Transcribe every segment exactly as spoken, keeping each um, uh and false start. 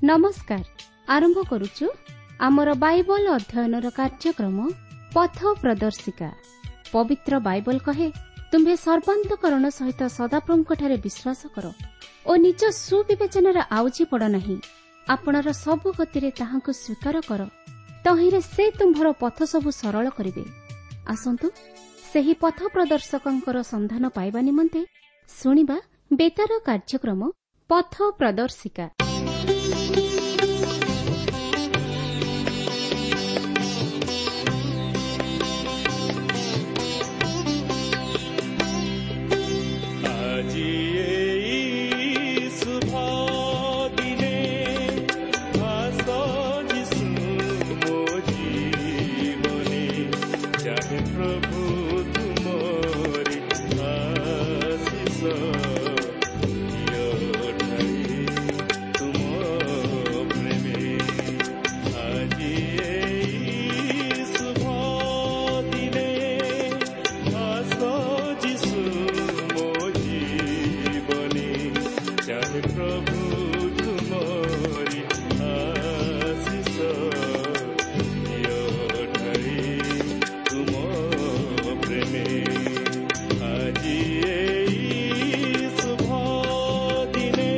ନମସ୍କାର। ଆରମ୍ଭ କରୁଛୁ ଆମର ବାଇବଲ ଅଧ୍ୟୟନର କାର୍ଯ୍ୟକ୍ରମ ପଥ ପ୍ରଦର୍ଶିକା। ପବିତ୍ର ବାଇବଲ କହେ, ତୁମ୍ଭେ ସର୍ବାନ୍ତକରଣ ସହିତ ସଦାପ୍ରଭୁଙ୍କଠାରେ ବିଶ୍ୱାସ କର ଓ ନିଜ ସୁବିବେଚନାରେ ଆଉଜି ପଡ଼ ନାହିଁ। ଆପଣର ସବୁ ଗତିରେ ତାହାଙ୍କୁ ସ୍ୱୀକାର କର, ତହିଁରେ ସେ ତୁମ୍ଭର ପଥ ସବୁ ସରଳ କରିବେ। ଆସନ୍ତୁ ସେହି ପଥ ପ୍ରଦର୍ଶକଙ୍କର ସନ୍ଧାନ ପାଇବା ନିମନ୍ତେ ଶୁଣିବା ବେତାର କାର୍ଯ୍ୟକ୍ରମ ପଥ ପ୍ରଦର୍ଶିକା। ଆଜି ଏଇ ଶୁଭ ଦିନେ ଆସ ଯୀଶୁ ମୋ ଜୀବନେ, ଚାହେ ପ୍ରଭୁ ତୁମରି ଆଶିଷ ଦିଅ ଢାଳି ତୁମ ପ୍ରେମେ। ଆଜି ଏଇ ଶୁଭ ଦିନେ ଆସ ଯୀଶୁ ମୋ ଜୀବନେ, ଚାହେ ପ୍ରଭୁ ତୁମରି ଆଶିଷ ଦିଅ ଢାଳି ତୁମ ପ୍ରେମେ। ଆଜି ଏଇ ଶୁଭ ଦିନେ।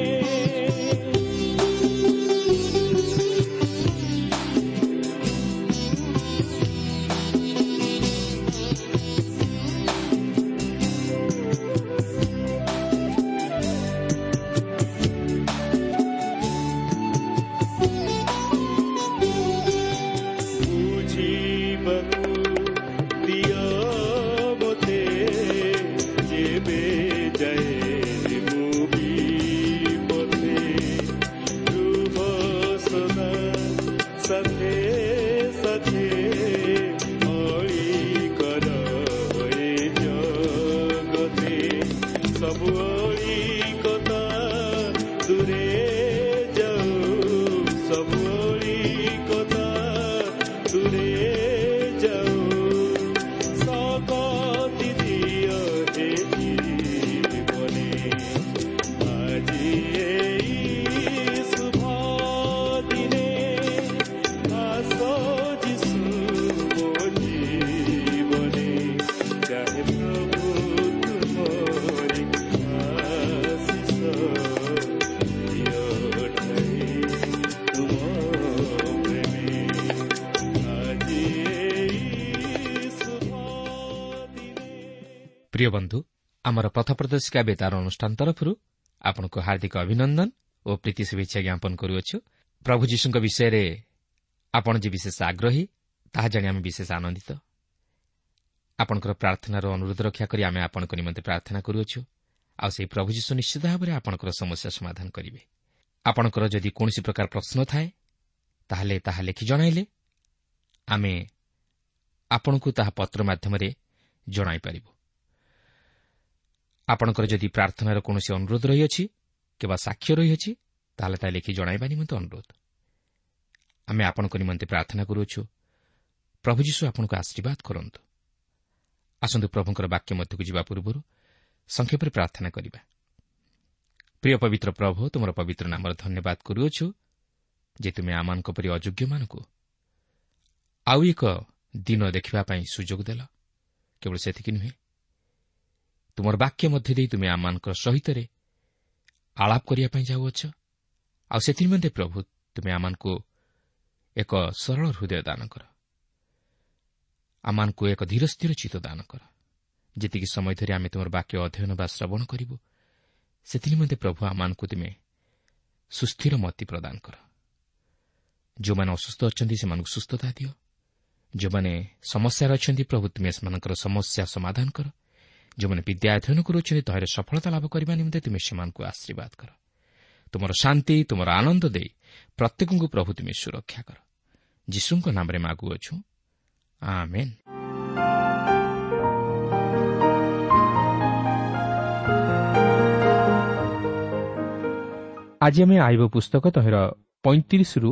ବୁଝିବାକୁ ଦିଅ ମୋତେ, ଯେବେ ଯାଏ ମୁଁ ବିପଥେ, ରୁହ ସଦା ସାଥେ ସାଥେ, ଅଳି କର ଏ ଜଗତେ, ସବୁ ଅଳିକତା ଦୂରେ ଯାଉ, ସବୁ ଅଳିକତା ଦୂରେ ଯାଉ, ଶକତି ଦିଅ ହେ ଜୀବନେ। ଆଜି ଏଇ ଶୁଭ ଦିନେ ଆସ ଯୀଶୁ ମୋ ଜୀବନେ, ଚାହେ ପ୍ରଭୁ ତୁମରି ଆଶିଷ ଦିଅ ଢାଳି ତୁମ ପ୍ରେମେ। ଆଜି ଏଇ ଶୁଭ ଦିନେ। ପ୍ରିୟ ବନ୍ଧୁ, ଆମର ପଥ ପ୍ରଦର୍ଶିକା ବେତାର ଅନୁଷ୍ଠାନ ତରଫରୁ ଆପଣଙ୍କୁ ହାର୍ଦ୍ଦିକ ଅଭିନନ୍ଦନ ଓ ପ୍ରୀତି ଶୁଭେଚ୍ଛା ଜ୍ଞାପନ କରୁଅଛୁ। ପ୍ରଭୁ ଯୀଶୁଙ୍କ ବିଷୟରେ ଆପଣ ଯେ ବିଶେଷ ଆଗ୍ରହୀ ତାହା ଜାଣି ଆମେ ବିଶେଷ ଆନନ୍ଦିତ। ଆପଣଙ୍କର ପ୍ରାର୍ଥନାର ଅନୁରୋଧ ରକ୍ଷା କରି ଆମେ ଆପଣଙ୍କ ନିମନ୍ତେ ପ୍ରାର୍ଥନା କରୁଅଛୁ, ଆଉ ସେହି ପ୍ରଭୁ ଯୀଶୁ ନିଶ୍ଚିତ ଭାବରେ ଆପଣଙ୍କର ସମସ୍ୟା ସମାଧାନ କରିବେ। ଆପଣଙ୍କର ଯଦି କୌଣସି ପ୍ରକାର ପ୍ରଶ୍ନ ଥାଏ ତାହେଲେ ତାହା ଲେଖି ଜଣାଇଲେ ଆମେ ଆପଣଙ୍କୁ ତାହା ପତ୍ର ମାଧ୍ୟମରେ ଜଣାଇପାରିବୁ। ଆପଣଙ୍କର ଯଦି ପ୍ରାର୍ଥନାର କୌଣସି ଅନୁରୋଧ ରହିଅଛି କିମ୍ବା ସାକ୍ଷ୍ୟ ରହିଅଛି ତାହେଲେ ତାହା ଲେଖି ଜଣାଇବା ନିମନ୍ତେ ଅନୁରୋଧ। ଆମେ ଆପଣଙ୍କ ନିମନ୍ତେ ପ୍ରାର୍ଥନା କରୁଅଛୁ। ପ୍ରଭୁ ଯୀଶୁ ଆପଣଙ୍କୁ ଆଶୀର୍ବାଦ କରନ୍ତୁ। ଆସନ୍ତୁ ପ୍ରଭୁଙ୍କର ବାକ୍ୟ ମଧ୍ୟକୁ ଯିବା ପୂର୍ବରୁ ସଂକ୍ଷେପରେ ପ୍ରାର୍ଥନା କରିବା। ପ୍ରିୟ ପବିତ୍ର ପ୍ରଭୁ, ତୁମର ପବିତ୍ର ନାମର ଧନ୍ୟବାଦ କରୁଅଛୁ ଯେ ତୁମେ ଆମମାନଙ୍କ ପରି ଅଯୋଗ୍ୟମାନଙ୍କୁ ଆଉ ଏକ ଦିନ ଦେଖିବା ପାଇଁ ସୁଯୋଗ ଦେଲ। କେବଳ ସେତିକି ନୁହେଁ, ତୁମର ବାକ୍ୟ ମଧ୍ୟ ଦେଇ ତୁମେ ଆମମାନଙ୍କ ସହିତରେ ଆଳାପ କରିବା ପାଇଁ ଯାଉଅଛ। ଆଉ ସେଥିନିମନ୍ତେ ପ୍ରଭୁ ତୁମେ ଆମମାନଙ୍କୁ ଏକ ସରଳ ହୃଦୟ ଦାନ କର, ଆମମାନଙ୍କୁ ଏକ ଧୀର ସ୍ଥିର ଚିତ୍ତ ଦାନ କର। ଯେତିକି ସମୟ ଧରି ଆମେ ତୁମର ବାକ୍ୟ ଅଧ୍ୟୟନ ବା ଶ୍ରବଣ କରିବୁ ସେଥିନିମନ୍ତେ ପ୍ରଭୁ ଆମମାନଙ୍କୁ ତୁମେ ସୁସ୍ଥିର ମତି ପ୍ରଦାନ କର। ଯେଉଁମାନେ ଅସୁସ୍ଥ ଅଛନ୍ତି ସେମାନଙ୍କୁ ସୁସ୍ଥତା ଦିଅ। ଯେଉଁମାନେ ସମସ୍ୟାରେ ଅଛନ୍ତି ପ୍ରଭୁ ତୁମେ ସେମାନଙ୍କର ସମସ୍ୟା ସମାଧାନ କର। ଯେଉଁମାନେ ବିଦ୍ୟା ଅଧ୍ୟୟନ କରୁଅଛନ୍ତି ତହିଁରେ ସଫଳତା ଲାଭ କରିବା ନିମନ୍ତେ ତୁମେ ସେମାନଙ୍କୁ ଆଶୀର୍ବାଦ କର। ତୁମର ଶାନ୍ତି, ତୁମର ଆନନ୍ଦ ଦେଇ ପ୍ରତ୍ୟେକଙ୍କୁ ପ୍ରଭୁ ତୁମେ ସୁରକ୍ଷା କର। ଯୀଶୁଙ୍କ ନାମରେ ମାଗୁଅଛୁ, ଆମେନ୍। ଆଜି ଆମେ ଆଇବ ପୁସ୍ତକ ତହିଁର ପଇଁତିରିଶରୁ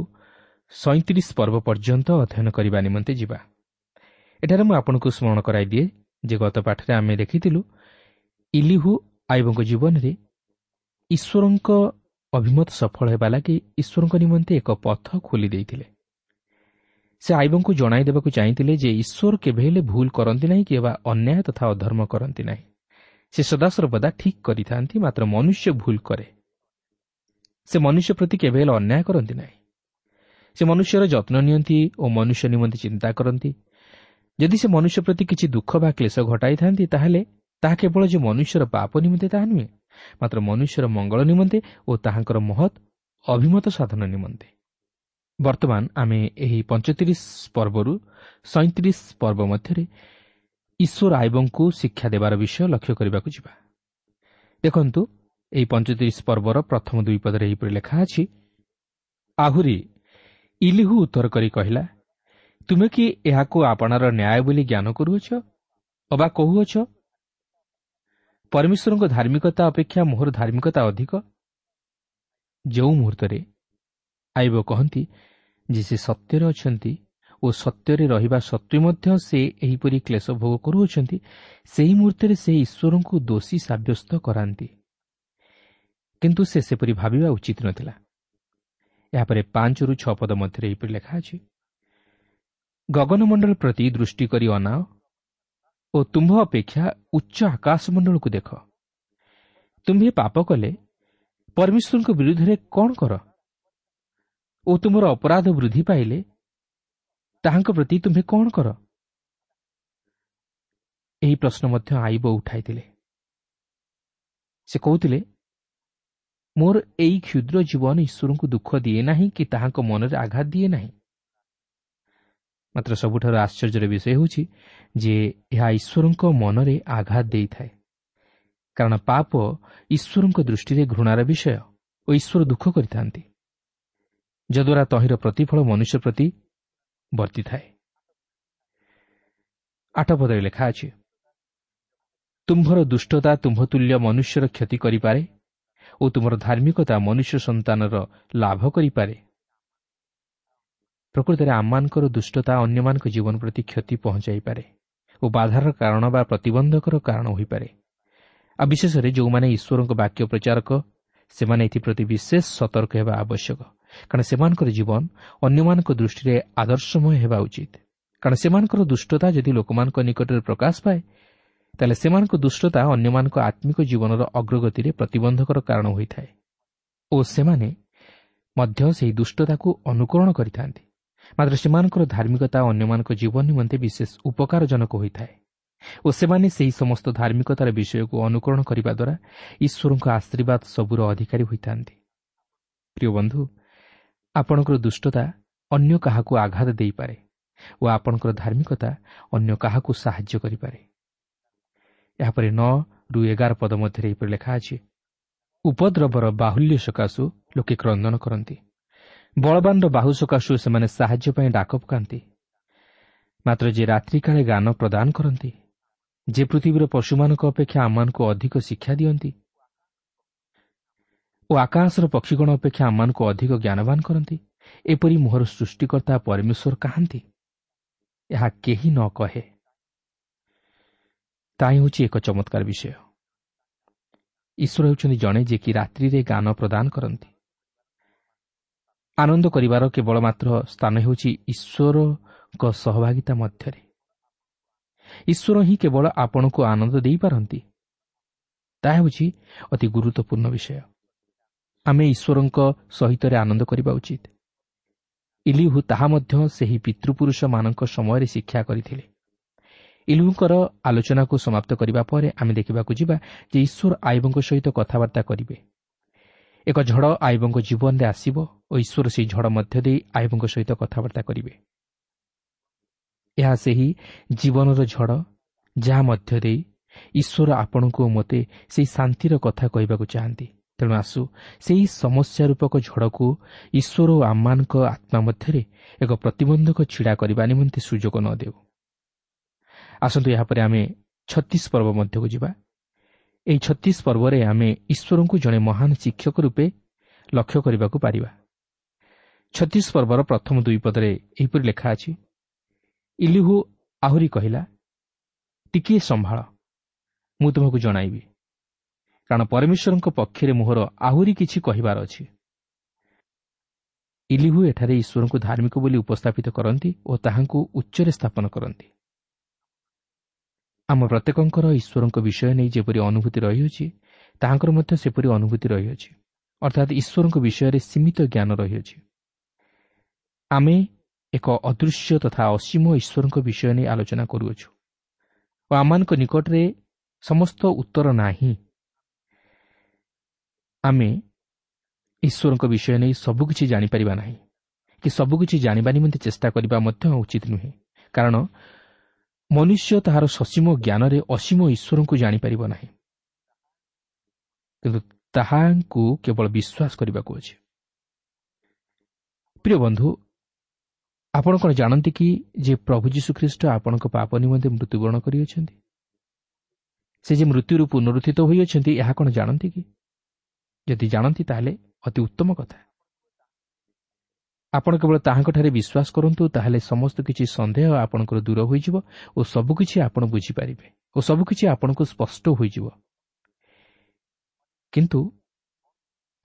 ସଇଁତିରିଶ ପର୍ବ ପର୍ଯ୍ୟନ୍ତ ଅଧ୍ୟୟନ କରିବା ନିମନ୍ତେ ଯିବା। ଏଠାରେ ମୁଁ ଆପଣଙ୍କୁ ସ୍ମରଣ କରାଇଦିଏ ଯେ ଗତ ପାଠରେ ଆମେ ଦେଖିଥିଲୁ ଇଲିହୁ ଆଇବଙ୍କ ଜୀବନରେ ଈଶ୍ୱରଙ୍କ ଅଭିମତ ସଫଳ ହେବା ଲାଗି ଈଶ୍ୱରଙ୍କ ନିମନ୍ତେ ଏକ ପଥ ଖୋଲି ଦେଇଥିଲେ। ସେ ଆଇବଙ୍କୁ ଜଣାଇ ଦେବାକୁ ଚାହିଁଥିଲେ ଯେ ଈଶ୍ୱର କେବେ ହେଲେ ଭୁଲ କରନ୍ତି ନାହିଁ କିମ୍ବା ଅନ୍ୟାୟ ତଥା ଅଧର୍ମ କରନ୍ତି ନାହିଁ। ସେ ସଦାସର୍ବଦା ଠିକ୍ କରିଥାନ୍ତି, ମାତ୍ର ମନୁଷ୍ୟ ଭୁଲ କରେ। ସେ ମନୁଷ୍ୟ ପ୍ରତି କେବେ ହେଲେ ଅନ୍ୟାୟ କରନ୍ତି ନାହିଁ। ସେ ମନୁଷ୍ୟର ଯତ୍ନ ନିଅନ୍ତି ଓ ମନୁଷ୍ୟ ନିମନ୍ତେ ଚିନ୍ତା କରନ୍ତି। ଯଦି ସେ ମନୁଷ୍ୟ ପ୍ରତି କିଛି ଦୁଃଖ ବା କ୍ଲେଶ ଘଟାଇଥାନ୍ତି, ତାହେଲେ ତାହା କେବଳ ଯେ ମନୁଷ୍ୟର ପାପ ନିମନ୍ତେ ତାହା ନୁହେଁ, ମାତ୍ର ମନୁଷ୍ୟର ମଙ୍ଗଳ ନିମନ୍ତେ ଓ ତାହାଙ୍କର ମହତ୍ ଅଭିମତ ସାଧନ ନିମନ୍ତେ। ବର୍ତ୍ତମାନ ଆମେ ଏହି ପଞ୍ଚତିରିଶ ପର୍ବରୁ ସଇଁତିରିଶ ପର୍ବ ମଧ୍ୟରେ ଈଶ୍ୱର ଆଇବଙ୍କୁ ଶିକ୍ଷା ଦେବାର ବିଷୟ ଲକ୍ଷ୍ୟ କରିବାକୁ ଯିବା। ଦେଖନ୍ତୁ, ଏହି ପଞ୍ଚତିରିଶ ପର୍ବର ପ୍ରଥମ ଦୁଇ ପଦରେ ଏହିପରି ଲେଖା ଅଛି, ଆହୁରି ଇଲିହୁ ଉତ୍ତର କରି କହିଲା, ତୁମେ କି ଏହାକୁ ଆପଣାର ନ୍ୟାୟ ବୋଲି ଜ୍ଞାନ କରୁଅଛ ଅବା କହୁଅଛ, ପରମେଶ୍ୱରଙ୍କ ଧାର୍ମିକତା ଅପେକ୍ଷା ମୋହର ଧାର୍ମିକତା ଅଧିକ? ଯେଉଁ ମୁହୂର୍ତ୍ତରେ ଆଇବ କହନ୍ତି ଯେ ସେ ସତ୍ୟରେ ଅଛନ୍ତି ଓ ସତ୍ୟରେ ରହିବା ସତ୍ତ୍ୱେ ମଧ୍ୟ ସେ ଏହିପରି କ୍ଲେଶ ଭୋଗ କରୁଅଛନ୍ତି, ସେହି ମୁହୂର୍ତ୍ତରେ ସେ ଈଶ୍ୱରଙ୍କୁ ଦୋଷୀ ସାବ୍ୟସ୍ତ କରାନ୍ତି। କିନ୍ତୁ ସେ ସେପରି ଭାବିବା ଉଚିତ ନଥିଲା। ଏହାପରେ ପାଞ୍ଚରୁ ଛଅ ପଦ ମଧ୍ୟରେ ଏହିପରି ଲେଖା ଅଛି, ଗଗନମଣ୍ଡଳ ପ୍ରତି ଦୃଷ୍ଟି କରି ଅନାଅ ଓ ତୁମ୍ଭ ଅପେକ୍ଷା ଉଚ୍ଚ ଆକାଶମଣ୍ଡଳକୁ ଦେଖ। ତୁମ୍ଭେ ପାପ କଲେ ପରମେଶ୍ୱରଙ୍କ ବିରୁଦ୍ଧରେ କ'ଣ କର ଓ ତୁମର ଅପରାଧ ବୃଦ୍ଧି ପାଇଲେ ତାହାଙ୍କ ପ୍ରତି ତୁମ୍ଭେ କ'ଣ କର? ଏହି ପ୍ରଶ୍ନ ମଧ୍ୟ ଆଇବ ଉଠାଇଥିଲେ। ସେ କହୁଥିଲେ, ମୋର ଏଇ କ୍ଷୁଦ୍ର ଜୀବନ ଈଶ୍ୱରଙ୍କୁ ଦୁଃଖ ଦିଏ ନାହିଁ କି ତାହାଙ୍କ ମନରେ ଆଘାତ ଦିଏ ନାହିଁ। ମାତ୍ର ସବୁଠାରୁ ଆଶ୍ଚର୍ଯ୍ୟର ବିଷୟ ହେଉଛି ଯେ ଏହା ଈଶ୍ୱରଙ୍କ ମନରେ ଆଘାତ ଦେଇଥାଏ, କାରଣ ପାପ ଈଶ୍ୱରଙ୍କ ଦୃଷ୍ଟିରେ ଘୃଣାର ବିଷୟ ଓ ଈଶ୍ୱର ଦୁଃଖ କରିଥାନ୍ତି, ଯଦ୍ୱାରା ତହିଁର ପ୍ରତିଫଳ ମନୁଷ୍ୟ ପ୍ରତି ବର୍ତ୍ତିଥାଏ। ଆଠ ପଦରେ ଲେଖା ଅଛି, ତୁମ୍ଭର ଦୁଷ୍ଟତା ତୁମ୍ଭ ତୁଲ୍ୟ ମନୁଷ୍ୟର କ୍ଷତି କରିପାରେ ଓ ତୁମର ଧାର୍ମିକତା ମନୁଷ୍ୟ ସନ୍ତାନର ଲାଭ କରିପାରେ। ପ୍ରକୃତରେ ଆମମାନଙ୍କର ଦୁଷ୍ଟତା ଅନ୍ୟମାନଙ୍କ ଜୀବନ ପ୍ରତି କ୍ଷତି ପହଞ୍ଚାଇପାରେ ଓ ବାଧାର କାରଣ ବା ପ୍ରତିବନ୍ଧକର କାରଣ ହୋଇପାରେ। ଆଉ ବିଶେଷରେ ଯେଉଁମାନେ ଈଶ୍ୱରଙ୍କ ବାକ୍ୟ ପ୍ରଚାରକ, ସେମାନେ ଏଥିପ୍ରତି ବିଶେଷ ସତର୍କ ହେବା ଆବଶ୍ୟକ, କାରଣ ସେମାନଙ୍କର ଜୀବନ ଅନ୍ୟମାନଙ୍କ ଦୃଷ୍ଟିରେ ଆଦର୍ଶମୟ ହେବା ଉଚିତ। କାରଣ ସେମାନଙ୍କର ଦୁଷ୍ଟତା ଯଦି ଲୋକମାନଙ୍କ ନିକଟରେ ପ୍ରକାଶ ପାଏ, ତାହେଲେ ସେମାନଙ୍କ ଦୁଷ୍ଟତା ଅନ୍ୟମାନଙ୍କ ଆତ୍ମିକ ଜୀବନର ଅଗ୍ରଗତିରେ ପ୍ରତିବନ୍ଧକର କାରଣ ହୋଇଥାଏ ଓ ସେମାନେ ମଧ୍ୟ ସେହି ଦୁଷ୍ଟତାକୁ ଅନୁକରଣ କରିଥାନ୍ତି। ମାତ୍ର ସେମାନଙ୍କର ଧାର୍ମିକତା ଅନ୍ୟମାନଙ୍କ ଜୀବନ ନିମନ୍ତେ ବିଶେଷ ଉପକାରଜନକ ହୋଇଥାଏ ଓ ସେମାନେ ସେହି ସମସ୍ତ ଧାର୍ମିକତାର ବିଷୟକୁ ଅନୁକରଣ କରିବା ଦ୍ୱାରା ଈଶ୍ୱରଙ୍କ ଆଶୀର୍ବାଦ ସବୁର ଅଧିକାରୀ ହୋଇଥାନ୍ତି। ପ୍ରିୟ ବନ୍ଧୁ, ଆପଣଙ୍କର ଦୁଷ୍ଟତା ଅନ୍ୟ କାହାକୁ ଆଘାତ ଦେଇପାରେ ଓ ଆପଣଙ୍କର ଧାର୍ମିକତା ଅନ୍ୟ କାହାକୁ ସାହାଯ୍ୟ କରିପାରେ। ଏହାପରେ ନଅରୁ ଏଗାର ପଦ ମଧ୍ୟରେ ଏହିପରି ଲେଖା ଅଛି, ଉପଦ୍ରବର ବାହୁଲ୍ୟ ସକାଶୁ ଲୋକେ କ୍ରନ୍ଦନ କରନ୍ତି, ବଳବାନର ବାହୁ ସକାଶୁ ସେମାନେ ସାହାଯ୍ୟ ପାଇଁ ଡାକ ପକାନ୍ତି। ମାତ୍ର ଯେ ରାତ୍ରିକାଳେ ଗାନ ପ୍ରଦାନ କରନ୍ତି, ଯେ ପୃଥିବୀର ପଶୁମାନଙ୍କ ଅପେକ୍ଷା ଆମମାନଙ୍କୁ ଅଧିକ ଶିକ୍ଷା ଦିଅନ୍ତି ଓ ଆକାଶର ପକ୍ଷୀଗଣ ଅପେକ୍ଷା ଆମମାନଙ୍କୁ ଅଧିକ ଜ୍ଞାନବାନ କରନ୍ତି, ଏପରି ମୋହର ସୃଷ୍ଟିକର୍ତ୍ତା ପରମେଶ୍ୱର କାହାନ୍ତି? ଏହା କେହି ନ କହେ। ତାହା ହେଉଛି ଏକ ଚମତ୍କାର ବିଷୟ। ଈଶ୍ୱର ହେଉଛନ୍ତି ଜଣେ ଯିଏକି ରାତ୍ରିରେ ଗାନ ପ୍ରଦାନ କରନ୍ତି। ଆନନ୍ଦ କରିବାର କେବଳ ମାତ୍ର ସ୍ଥାନ ହେଉଛି ଈଶ୍ୱରଙ୍କ ସହଭାଗିତା ମଧ୍ୟରେ। ଈଶ୍ୱର ହିଁ କେବଳ ଆପଣଙ୍କୁ ଆନନ୍ଦ ଦେଇପାରନ୍ତି। ତାହା ହେଉଛି ଅତି ଗୁରୁତ୍ୱପୂର୍ଣ୍ଣ ବିଷୟ। ଆମେ ଈଶ୍ୱରଙ୍କ ସହିତରେ ଆନନ୍ଦ କରିବା ଉଚିତ। ଇଲିହୁ ତାହା ମଧ୍ୟ ସେହି ପିତୃପୁରୁଷମାନଙ୍କ ସମୟରେ ଶିକ୍ଷା କରିଥିଲେ। ଇଲିହୁଙ୍କର ଆଲୋଚନାକୁ ସମାପ୍ତ କରିବା ପରେ ଆମେ ଦେଖିବାକୁ ଯିବା ଯେ ଈଶ୍ୱର ଆଇବଙ୍କ ସହିତ କଥାବାର୍ତ୍ତା କରିବେ। ଏକ ଝଡ଼ ଆଇବଙ୍କ ଜୀବନରେ ଆସିବ ଓ ଈଶ୍ୱର ସେହି ଝଡ଼ ମଧ୍ୟ ଦେଇ ଆଇବଙ୍କ ସହିତ କଥାବାର୍ତ୍ତା କରିବେ। ଏହା ସେହି ଜୀବନର ଝଡ଼ ଯାହା ମଧ୍ୟ ଦେଇ ଈଶ୍ୱର ଆପଣଙ୍କୁ ଓ ମୋତେ ସେହି ଶାନ୍ତିର କଥା କହିବାକୁ ଚାହାନ୍ତି। ତେଣୁ ଆସୁ ସେହି ସମସ୍ୟା ରୂପକ ଝଡ଼କୁ ଈଶ୍ୱର ଓ ଆମମାନଙ୍କ ଆତ୍ମା ମଧ୍ୟରେ ଏକ ପ୍ରତିବନ୍ଧକ ଛିଡ଼ା କରିବା ନିମନ୍ତେ ସୁଯୋଗ ନ ଦେଉ। ଆସନ୍ତୁ ଏହାପରେ ଆମେ ଛତିଶ ପର୍ବ ମଧ୍ୟକୁ ଯିବା। ଏହି ଛତିଶ ପର୍ବରେ ଆମେ ଈଶ୍ୱରଙ୍କୁ ଜଣେ ମହାନ ଶିକ୍ଷକ ରୂପେ ଲକ୍ଷ୍ୟ କରିବାକୁ ପାରିବା। ଛତିଶ ପର୍ବର ପ୍ରଥମ ଦୁଇ ପଦରେ ଏହିପରି ଲେଖା ଅଛି, ଇଲିହୁ ଆହୁରି କହିଲା, ଟିକିଏ ସମ୍ଭାଳ, ମୁଁ ତୁମକୁ ଜଣାଇବି, କାରଣ ପରମେଶ୍ୱରଙ୍କ ପକ୍ଷରେ ମୋହର ଆହୁରି କିଛି କହିବାର ଅଛି। ଇଲିହୁ ଏଠାରେ ଈଶ୍ୱରଙ୍କୁ ଧାର୍ମିକ ବୋଲି ଉପସ୍ଥାପିତ କରନ୍ତି ଓ ତାହାଙ୍କୁ ଉଚ୍ଚରେ ସ୍ଥାପନ କରନ୍ତି। ଆମ ପ୍ରତ୍ୟେକଙ୍କର ଈଶ୍ୱରଙ୍କ ବିଷୟ ନେଇ ଯେପରି ଅନୁଭୂତି ରହିଅଛି, ତାହାଙ୍କର ମଧ୍ୟ ସେପରି ଅନୁଭୂତି ରହିଅଛି, ଅର୍ଥାତ୍ ଈଶ୍ୱରଙ୍କ ବିଷୟରେ ସୀମିତ ଜ୍ଞାନ ରହିଅଛି। ଆମେ ଏକ ଅଦୃଶ୍ୟ ତଥା ଅସୀମ ଈଶ୍ୱରଙ୍କ ବିଷୟ ନେଇ ଆଲୋଚନା କରୁଅଛୁ ଓ ଆମମାନଙ୍କ ନିକଟରେ ସମସ୍ତ ଉତ୍ତର ନାହିଁ। ଆମେ ଈଶ୍ୱରଙ୍କ ବିଷୟ ନେଇ ସବୁକିଛି ଜାଣିପାରିବା ନାହିଁ କି ସବୁକିଛି ଜାଣିବା ନିମନ୍ତେ ଚେଷ୍ଟା କରିବା ମଧ୍ୟ ଉଚିତ ନୁହେଁ, କାରଣ ମନୁଷ୍ୟ ତାହାର ସସୀମ ଜ୍ଞାନରେ ଅସୀମ ଈଶ୍ୱରଙ୍କୁ ଜାଣିପାରିବ ନାହିଁ, କିନ୍ତୁ ତାହାଙ୍କୁ କେବଳ ବିଶ୍ୱାସ କରିବାକୁ ଅଛି। ପ୍ରିୟ ବନ୍ଧୁ, ଆପଣ କ'ଣ ଜାଣନ୍ତି କି ଯେ ପ୍ରଭୁ ଯୀଶୁଖ୍ରୀଷ୍ଟ ଆପଣଙ୍କ ପାପ ନିମନ୍ତେ ମୃତ୍ୟୁବରଣ କରିଅଛନ୍ତି? ସେ ଯେ ମୃତ୍ୟୁରୁ ପୁନରୁତ୍ଥିତ ହୋଇଅଛନ୍ତି, ଏହା କ'ଣ ଜାଣନ୍ତି କି? ଯଦି ଜାଣନ୍ତି ତାହେଲେ ଅତି ଉତ୍ତମ କଥା। ଆପଣ କେବଳ ତାହାଙ୍କଠାରେ ବିଶ୍ୱାସ କରନ୍ତୁ, ତାହେଲେ ସମସ୍ତ କିଛି ସନ୍ଦେହ ଆପଣଙ୍କର ଦୂର ହୋଇଯିବ ଓ ସବୁକିଛି ଆପଣ ବୁଝିପାରିବେ ଓ ସବୁକିଛି ଆପଣଙ୍କୁ ସ୍ପଷ୍ଟ ହୋଇଯିବ। କିନ୍ତୁ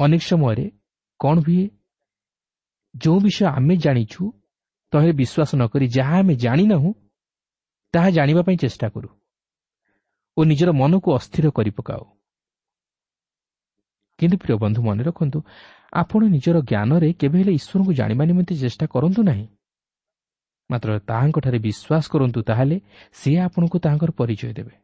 ଅନେକ ସମୟରେ କ'ଣ ହୁଏ, ଯେଉଁ ବିଷୟ ଆମେ ଜାଣିଛୁ ତହିଁରେ ବିଶ୍ୱାସ ନ କରି ଯାହା ଆମେ ଜାଣିନାହୁଁ ତାହା ଜାଣିବା ପାଇଁ ଚେଷ୍ଟା କରୁ ଓ ନିଜର ମନକୁ ଅସ୍ଥିର କରି ପକାଉ। କିନ୍ତୁ ପ୍ରିୟ ବନ୍ଧୁ, ମନେ ରଖନ୍ତୁ, ଆପଣ ନିଜର ଜ୍ଞାନରେ କେବେ ହେଲେ ଈଶ୍ୱରଙ୍କୁ ଜାଣିବା ନିମନ୍ତେ ଚେଷ୍ଟା କରନ୍ତୁ ନାହିଁ, ମାତ୍ର ତାହାଙ୍କଠାରେ ବିଶ୍ୱାସ କରନ୍ତୁ, ତାହେଲେ ସେ ଆପଣଙ୍କୁ ତାହାଙ୍କର ପରିଚୟ ଦେବେ।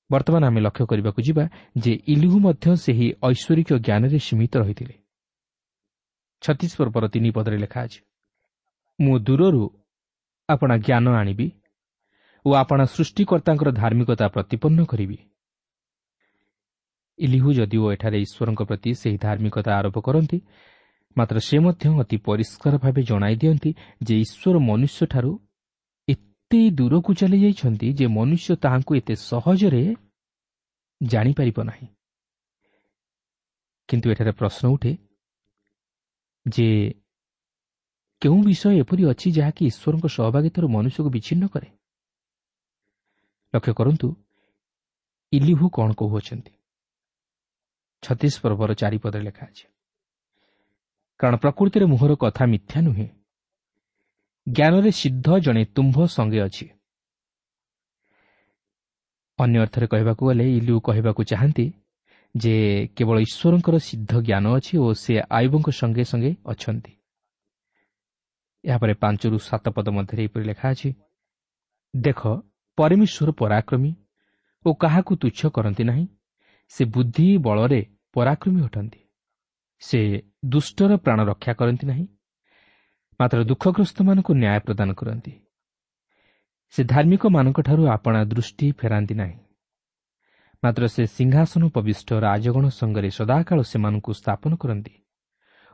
ବର୍ତ୍ତମାନ ଆମେ ଲକ୍ଷ୍ୟ କରିବାକୁ ଯିବା ଯେ ଇଲିହୁ ମଧ୍ୟ ସେହି ଐଶ୍ୱରିକ ଜ୍ଞାନରେ ସୀମିତ ରହିଥିଲେ। ଛତିଶ ପର୍ବର ତିନି ପଦରେ ଲେଖା ଅଛି, ମୁଁ ଦୂରରୁ ଆପଣା ଜ୍ଞାନ ଆଣିବି ଓ ଆପଣା ସୃଷ୍ଟିକର୍ତ୍ତାଙ୍କର ଧାର୍ମିକତା ପ୍ରତିପନ୍ନ କରିବି। ଇଲିହୁ ଯଦିଓ ଏଠାରେ ଈଶ୍ୱରଙ୍କ ପ୍ରତି ସେହି ଧାର୍ମିକତା ଆରୋପ କରନ୍ତି, ମାତ୍ର ସେ ମଧ୍ୟ ଅତି ପରିଷ୍କାର ଭାବେ ଜଣାଇ ଦିଅନ୍ତି ଯେ ଈଶ୍ୱର ମନୁଷ୍ୟଠାରୁ ଏତେ ଦୂରକୁ ଚାଲିଯାଇଛନ୍ତି ଯେ ମନୁଷ୍ୟ ତାହାଙ୍କୁ ଏତେ ସହଜରେ ଜାଣିପାରିବ ନାହିଁ। କିନ୍ତୁ ଏଠାରେ ପ୍ରଶ୍ନ ଉଠେ ଯେ କେଉଁ ବିଷୟ ଏପରି ଅଛି ଯାହାକି ଈଶ୍ୱରଙ୍କ ସହଭାଗିତାରୁ ମନୁଷ୍ୟକୁ ବିଚ୍ଛିନ୍ନ କରେ? ଲକ୍ଷ୍ୟ କରନ୍ତୁ ଇଲିହୁ କ'ଣ କହୁଅଛନ୍ତି। ଛତିଶ ପର୍ବର ଚାରିପଦରେ ଲେଖା ଅଛି, କାରଣ ପ୍ରକୃତିରେ ମୁହଁର କଥା ମିଥ୍ୟା ନୁହେଁ, ଜ୍ଞାନରେ ସିଦ୍ଧ ଜଣେ ତୁମ୍ଭ ସଙ୍ଗେ ଅଛି। ଅନ୍ୟ ଅର୍ଥରେ କହିବାକୁ ଗଲେ ଇଲିହୁ କହିବାକୁ ଚାହାନ୍ତି ଯେ କେବଳ ଈଶ୍ୱରଙ୍କର ସିଦ୍ଧ ଜ୍ଞାନ ଅଛି ଓ ସେ ଆୟୁବଙ୍କ ସଙ୍ଗେ ସଙ୍ଗେ ଅଛନ୍ତି। ଏହାପରେ ପାଞ୍ଚରୁ ସାତ ପଦ ମଧ୍ୟରେ ଏପରି ଲେଖା ଅଛି, ଦେଖ, ପରମେଶ୍ୱର ପରାକ୍ରମୀ ଓ କାହାକୁ ତୁଚ୍ଛ କରନ୍ତି ନାହିଁ, ସେ ବୁଦ୍ଧି ବଳରେ ପରାକ୍ରମୀ ଅଟନ୍ତି। ସେ ଦୁଷ୍ଟର ପ୍ରାଣ ରକ୍ଷା କରନ୍ତି ନାହିଁ, ମାତ୍ର ଦୁଃଖଗ୍ରସ୍ତମାନଙ୍କୁ ନ୍ୟାୟ ପ୍ରଦାନ କରନ୍ତି। ସେ ଧାର୍ମିକମାନଙ୍କଠାରୁ ଆପଣା ଦୃଷ୍ଟି ଫେରାନ୍ତି ନାହିଁ, ମାତ୍ର ସେ ସିଂହାସନ ଉପବିଷ୍ଟ ରାଜଗଣ ସଙ୍ଗରେ ସଦାକାଳ ସେମାନଙ୍କୁ ସ୍ଥାପନ କରନ୍ତି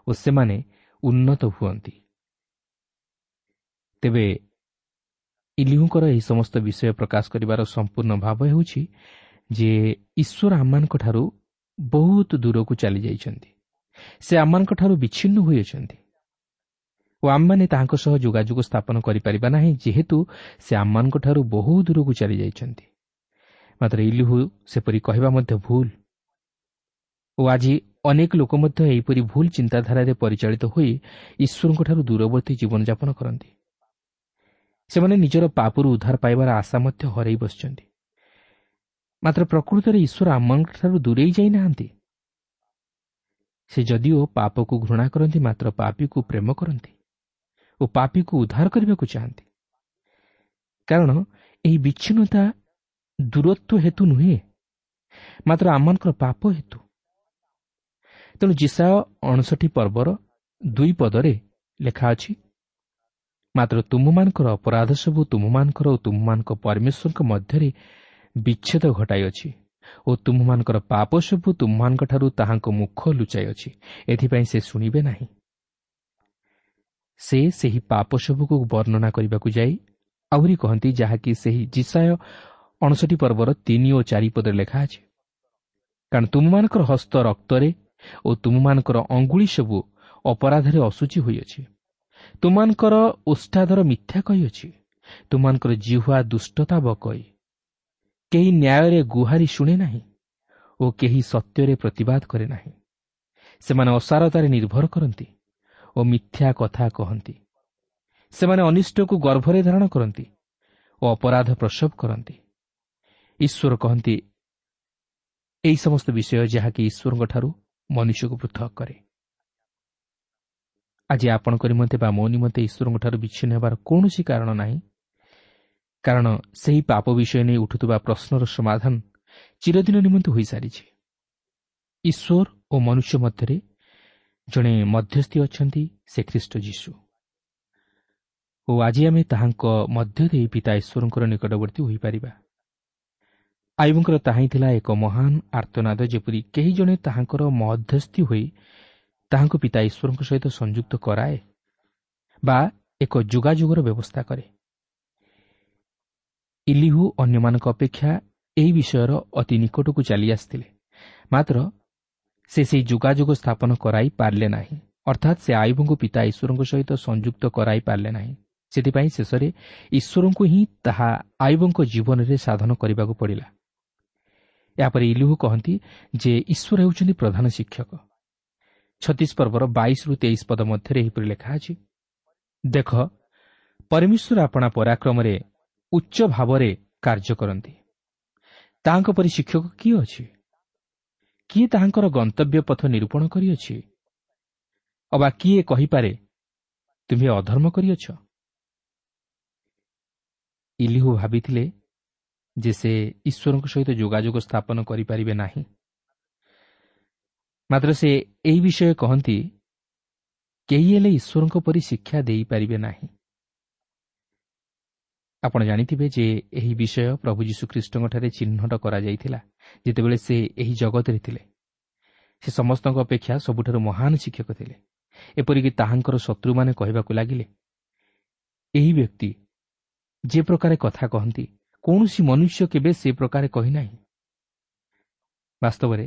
ଓ ସେମାନେ ଉନ୍ନତ ହୁଅନ୍ତି। ତେବେ ଇଲିହୁଙ୍କର ଏହି ସମସ୍ତ ବିଷୟ ପ୍ରକାଶ କରିବାର ସମ୍ପୂର୍ଣ୍ଣ ଭାବ ହେଉଛି ଯେ ଈଶ୍ୱର ଆମମାନଙ୍କଠାରୁ ବହୁତ ଦୂରକୁ ଚାଲିଯାଇଛନ୍ତି, ସେ ଆମମାନଙ୍କଠାରୁ ବିଚ୍ଛିନ୍ନ ହୋଇଅଛନ୍ତି ଓ ଆମମାନେ ତାହାଙ୍କ ସହ ଯୋଗାଯୋଗ ସ୍ଥାପନ କରିପାରିବା ନାହିଁ, ଯେହେତୁ ସେ ଆମମାନଙ୍କଠାରୁ ବହୁ ଦୂରକୁ ଚାଲିଯାଇଛନ୍ତି। ମାତ୍ର ଇଲିହୁ ସେପରି କହିବା ମଧ୍ୟ ଭୁଲ ଓ ଆଜି ଅନେକ ଲୋକ ମଧ୍ୟ ଏହିପରି ଭୁଲ ଚିନ୍ତାଧାରାରେ ପରିଚାଳିତ ହୋଇ ଈଶ୍ୱରଙ୍କଠାରୁ ଦୂରବର୍ତ୍ତୀ ଜୀବନଯାପନ କରନ୍ତି। ସେମାନେ ନିଜର ପାପରୁ ଉଦ୍ଧାର ପାଇବାର ଆଶା ମଧ୍ୟ ହରାଇ ବସିଛନ୍ତି। ମାତ୍ର ପ୍ରକୃତରେ ଈଶ୍ୱର ଆମମାନଙ୍କଠାରୁ ଦୂରେଇ ଯାଇନାହାନ୍ତି। ସେ ଯଦିଓ ପାପକୁ ଘୃଣା କରନ୍ତି, ମାତ୍ର ପାପୀକୁ ପ୍ରେମ କରନ୍ତି ଓ ପାପୀକୁ ଉଦ୍ଧାର କରିବାକୁ ଚାହାନ୍ତି। କାରଣ ଏହି ବିଚ୍ଛିନ୍ନତା ଦୂରତ୍ୱ ହେତୁ ନୁହେଁ, ମାତ୍ର ଆମମାନଙ୍କର ପାପ ହେତୁ। ତେଣୁ ଯିଶାଇୟ ଅଣଷଠି ପର୍ବର ଦୁଇ ପଦରେ ଲେଖା ଅଛି, ମାତ୍ର ତୁମମାନଙ୍କର ଅପରାଧ ସବୁ ତୁମମାନଙ୍କର ଓ ତୁମମାନଙ୍କ ପରମେଶ୍ୱରଙ୍କ ମଧ୍ୟରେ ବିଚ୍ଛେଦ ଘଟାଇଅଛି ଓ ତୁମମାନଙ୍କର ପାପ ସବୁ ତୁମମାନଙ୍କଠାରୁ ତାହାଙ୍କ ମୁଖ ଲୁଚାଇଅଛି, ଏଥିପାଇଁ ସେ ଶୁଣିବେ ନାହିଁ। ସେ ସେହି ପାପ ସବୁକୁ ବର୍ଣ୍ଣନା କରିବାକୁ ଯାଇ ଆହୁରି କହନ୍ତି, ଯାହାକି ସେହି ଯିଶାଇୟ ଅଣଷଠି ପର୍ବର ତିନି ଓ ଚାରି ପଦରେ ଲେଖା ଅଛି, କାରଣ ତୁମମାନଙ୍କର ହସ୍ତ ରକ୍ତରେ ଓ ତୁମମାନଙ୍କର ଅଙ୍ଗୁଳି ସବୁ ଅପରାଧରେ ଅଶୁଚି ହୋଇଅଛି। ତୁମମାନଙ୍କର ଓଷ୍ଠାଧର ମିଥ୍ୟା କହିଅଛି, ତୁମମାନଙ୍କର ଜିହ୍ୱା ଦୁଷ୍ଟତା ବକଇ। କେହି ନ୍ୟାୟରେ ଗୁହାରି ଶୁଣେ ନାହିଁ ଓ କେହି ସତ୍ୟରେ ପ୍ରତିବାଦ କରେ ନାହିଁ। ସେମାନେ ଅସାରତାରେ ନିର୍ଭର କରନ୍ତି ଓ ମିଥ୍ୟା କଥା କହନ୍ତି। ସେମାନେ ଅନିଷ୍ଟକୁ ଗର୍ଭରେ ଧାରଣ କରନ୍ତି ଓ ଅପରାଧ ପ୍ରସବ କରନ୍ତି। ଈଶ୍ୱର କହନ୍ତି, ଏହି ସମସ୍ତ ବିଷୟ ଯାହାକି ଈଶ୍ୱରଙ୍କଠାରୁ ମନୁଷ୍ୟକୁ ପୃଥକ କରେ। ଆଜି ଆପଣଙ୍କ ନିମନ୍ତେ ବା ମୋ ନିମନ୍ତେ ଈଶ୍ୱରଙ୍କଠାରୁ ବିଚ୍ଛିନ୍ନ ହେବାର କୌଣସି କାରଣ ନାହିଁ, କାରଣ ସେହି ପାପ ବିଷୟ ନେଇ ଉଠୁଥିବା ପ୍ରଶ୍ନର ସମାଧାନ ଚିରଦିନ ନିମନ୍ତେ ହୋଇସାରିଛି। ଈଶ୍ୱର ଓ ମନୁଷ୍ୟ ମଧ୍ୟରେ ଜଣେ ମଧ୍ୟସ୍ଥି ଅଛନ୍ତି, ସେ ଖ୍ରୀଷ୍ଟ ଯୀଶୁ, ଓ ଆଜି ଆମେ ତାହାଙ୍କ ମଧ୍ୟ ଦେଇ ପିତା ଈଶ୍ୱରଙ୍କର ନିକଟବର୍ତ୍ତୀ ହୋଇପାରିବା। ଆୟୁବଙ୍କର ତାହା ହିଁ ଥିଲା ଏକ ମହାନ ଆର୍ତ୍ତନାଦ, ଯେପରି କେହି ଜଣେ ତାହାଙ୍କର ମଧ୍ୟସ୍ଥି ହୋଇ ତାହାଙ୍କୁ ପିତା ଈଶ୍ୱରଙ୍କ ସହିତ ସଂଯୁକ୍ତ କରାଏ ବା ଏକ ଯୋଗାଯୋଗର ବ୍ୟବସ୍ଥା କରେ। ଇଲିହୁ ଅନ୍ୟମାନଙ୍କ ଅପେକ୍ଷା ଏହି ବିଷୟର ଅତି ନିକଟକୁ ଚାଲି ଆସିଥିଲେ, ମାତ୍ର ସେ ସେହି ଯୋଗାଯୋଗ ସ୍ଥାପନ କରାଇ ପାରିଲେ ନାହିଁ, ଅର୍ଥାତ୍ ସେ ଆୟୁବଙ୍କୁ ପିତା ଈଶ୍ୱରଙ୍କ ସହିତ ସଂଯୁକ୍ତ କରାଇ ପାରିଲେ ନାହିଁ। ସେଥିପାଇଁ ଶେଷରେ ଈଶ୍ୱରଙ୍କୁ ହିଁ ତାହା ଆୟୁବଙ୍କ ଜୀବନରେ ସାଧନ କରିବାକୁ ପଡ଼ିଲା। ଏହାପରେ ଇଲିହୁ କହନ୍ତି ଯେ ଈଶ୍ୱର ହେଉଛନ୍ତି ପ୍ରଧାନ ଶିକ୍ଷକ। ଛତିଶ ପର୍ବର ବାଇଶରୁ ତେଇଶ ପଦ ମଧ୍ୟରେ ଏହିପରି ଲେଖା ଅଛି, ଦେଖ, ପରମେଶ୍ୱର ଆପଣା ପରାକ୍ରମରେ ଉଚ୍ଚ ଭାବରେ କାର୍ଯ୍ୟ କରନ୍ତି। ତାହାଙ୍କ ପରି ଶିକ୍ଷକ କିଏ ଅଛି? କିଏ ତାହାଙ୍କର ଗନ୍ତବ୍ୟ ପଥ ନିରୂପଣ କରିଅଛି? ଅବା କିଏ କହିପାରେ, ତୁମ୍ଭେ ଅଧର୍ମ କରିଅଛ? ଇଲିହୁ ଭାବିଥିଲେ ଯେ ସେ ଈଶ୍ୱରଙ୍କ ସହିତ ଯୋଗାଯୋଗ ସ୍ଥାପନ କରିପାରିବେ ନାହିଁ, ମାତ୍ର ସେ ଏହି ବିଷୟ କହନ୍ତି, କେହି ହେଲେ ଈଶ୍ୱରଙ୍କ ପରି ଶିକ୍ଷା ଦେଇପାରିବେ ନାହିଁ। ଆପଣ ଜାଣିଥିବେ ଯେ ଏହି ବିଷୟ ପ୍ରଭୁ ଯୀଶୁଖ୍ରୀଷ୍ଟଙ୍କଠାରେ ଚିହ୍ନଟ କରାଯାଇଥିଲା ଯେତେବେଳେ ସେ ଏହି ଜଗତରେ ଥିଲେ। ସେ ସମସ୍ତଙ୍କ ଅପେକ୍ଷା ସବୁଠାରୁ ମହାନ ଶିକ୍ଷକ ଥିଲେ। ଏପରିକି ତାହାଙ୍କର ଶତ୍ରୁମାନେ କହିବାକୁ ଲାଗିଲେ, ଏହି ବ୍ୟକ୍ତି ଯେ ପ୍ରକାରେ କଥା କହନ୍ତି, କୌଣସି ମନୁଷ୍ୟ କେବେ ସେ ପ୍ରକାରେ କହିନାହିଁ। ବାସ୍ତବରେ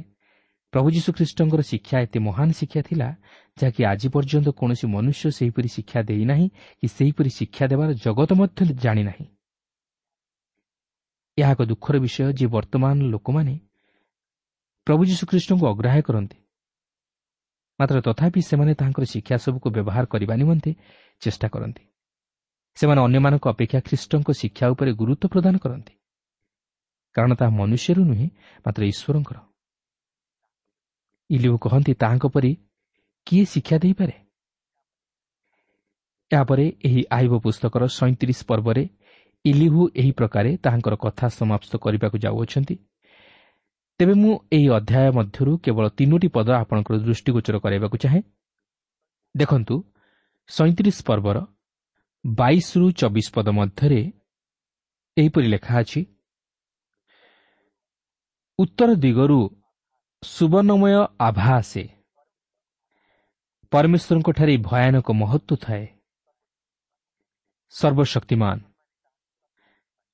ପ୍ରଭୁ ଯୀଶୁଖ୍ରୀଷ୍ଟଙ୍କର ଶିକ୍ଷା ଏତେ ମହାନ ଶିକ୍ଷା ଥିଲା, ଯାହାକି ଆଜି ପର୍ଯ୍ୟନ୍ତ କୌଣସି ମନୁଷ୍ୟ ସେହିପରି ଶିକ୍ଷା ଦେଇନାହିଁ କି ସେହିପରି ଶିକ୍ଷା ଦେବାର ଜଗତ ମଧ୍ୟ ଜାଣିନାହିଁ। ଏହା ଏକ ଦୁଃଖର ବିଷୟ ଯେ ବର୍ତ୍ତମାନ ଲୋକମାନେ ପ୍ରଭୁ ଯୀଶୁଖ୍ରୀଷ୍ଟଙ୍କୁ ଅଗ୍ରାହ୍ୟ କରନ୍ତି, ମାତ୍ର ତଥାପି ସେମାନେ ତାହାଙ୍କର ଶିକ୍ଷା ସବୁକୁ ବ୍ୟବହାର କରିବା ନିମନ୍ତେ ଚେଷ୍ଟା କରନ୍ତି। ସେମାନେ ଅନ୍ୟମାନଙ୍କ ଅପେକ୍ଷା ଖ୍ରୀଷ୍ଟଙ୍କ ଶିକ୍ଷା ଉପରେ ଗୁରୁତ୍ୱ ପ୍ରଦାନ କରନ୍ତି, କାରଣ ତାହା ମନୁଷ୍ୟରୁ ନୁହେଁ, ମାତ୍ର ଈଶ୍ୱରଙ୍କର। ଇଲିହୁ କହନ୍ତି, ତାହାଙ୍କ ପରି କିଏ ଶିକ୍ଷା ଦେଇପାରେ? ଏହାପରେ ଏହି ଆୟୁବ ପୁସ୍ତକର ସଇଁତିରିଶ ପର୍ବରେ ଇଲିହୁ ଏହି ପ୍ରକାରେ ତାହାଙ୍କର କଥା ସମାପ୍ତ କରିବାକୁ ଯାଉଅଛନ୍ତି। ତେବେ ମୁଁ ଏହି ଅଧ୍ୟାୟ ମଧ୍ୟରୁ କେବଳ ତିନୋଟି ପଦ ଆପଣଙ୍କର ଦୃଷ୍ଟିଗୋଚର କରାଇବାକୁ ଚାହେଁ। ଦେଖନ୍ତୁ, ସଇଁତିରିଶ ପର୍ବର ବାଇଶରୁ ଚବିଶ ପଦ ମଧ୍ୟରେ ଏହିପରି ଲେଖା ଅଛି, ଉତ୍ତର ଦିଗରୁ ସୁବର୍ଣ୍ଣମୟ ଆଭା ଆସେ, ପରମେଶ୍ୱରଙ୍କଠାରେ ଭୟାନକ ମହତ୍ଵ ଥାଏ। ସର୍ବଶକ୍ତିମାନ,